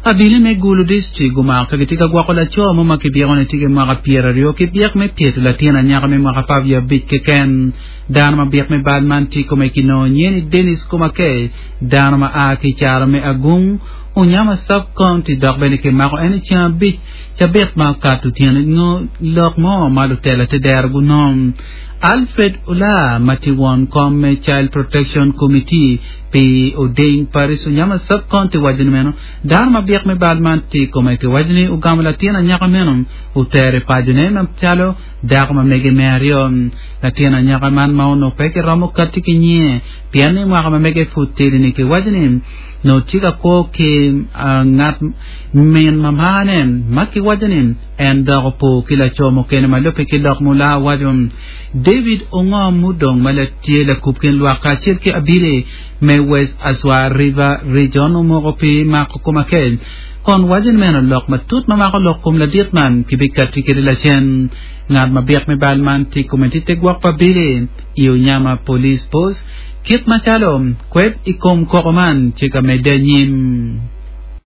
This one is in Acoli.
Abili me Gulu District gumako ka gitye ka gwoko laco mo ma kibyeko ni tye ki mwaka pyeraryo ki byek me pyeto latin anyaka me mwaka 15 keken. Dano ma byek me bal man tye i kome kinongo nyinge ni Dennis Kumakei, dano ma a ki i caro me Agung, Unyama Sub-County dok bene kimako en i ceng abic cabit ma okato otyeno nyo lok mo ma lutela te dero gunongo. Alfred Ola ma tye won kom me Child Protection Committee pi Oding Parish Unyama Sub-County waco ni meno dano ma byek me bal man tye i kome kiwaco ni ogamo latin anyaka meno otero i pacone macalo dako ma mege me aryo. Latin anyaka man ma onongo pe kiromo kati ki nyinge pien ni mwaka ma mege pud tidi-ni kiwaco ni nongo tye ka kwo ki ngat min ma marne ma kiwaco ni en dok opo ki laco mukene ma lubbe ki lok mula waco. David Ongo mudong ma tye lakub kin lwak kacel ki abili me West Aswa River Region omoko pi mako Kumakel kon waco ni meno lok matut ma mako lok kom ladit man kibikati kede lacen. Ngat ma byek me bal man tye kome tye te gwok pa abili i Onyama Police Post kit macalo kwed i kom koko man tye ka medde anyim.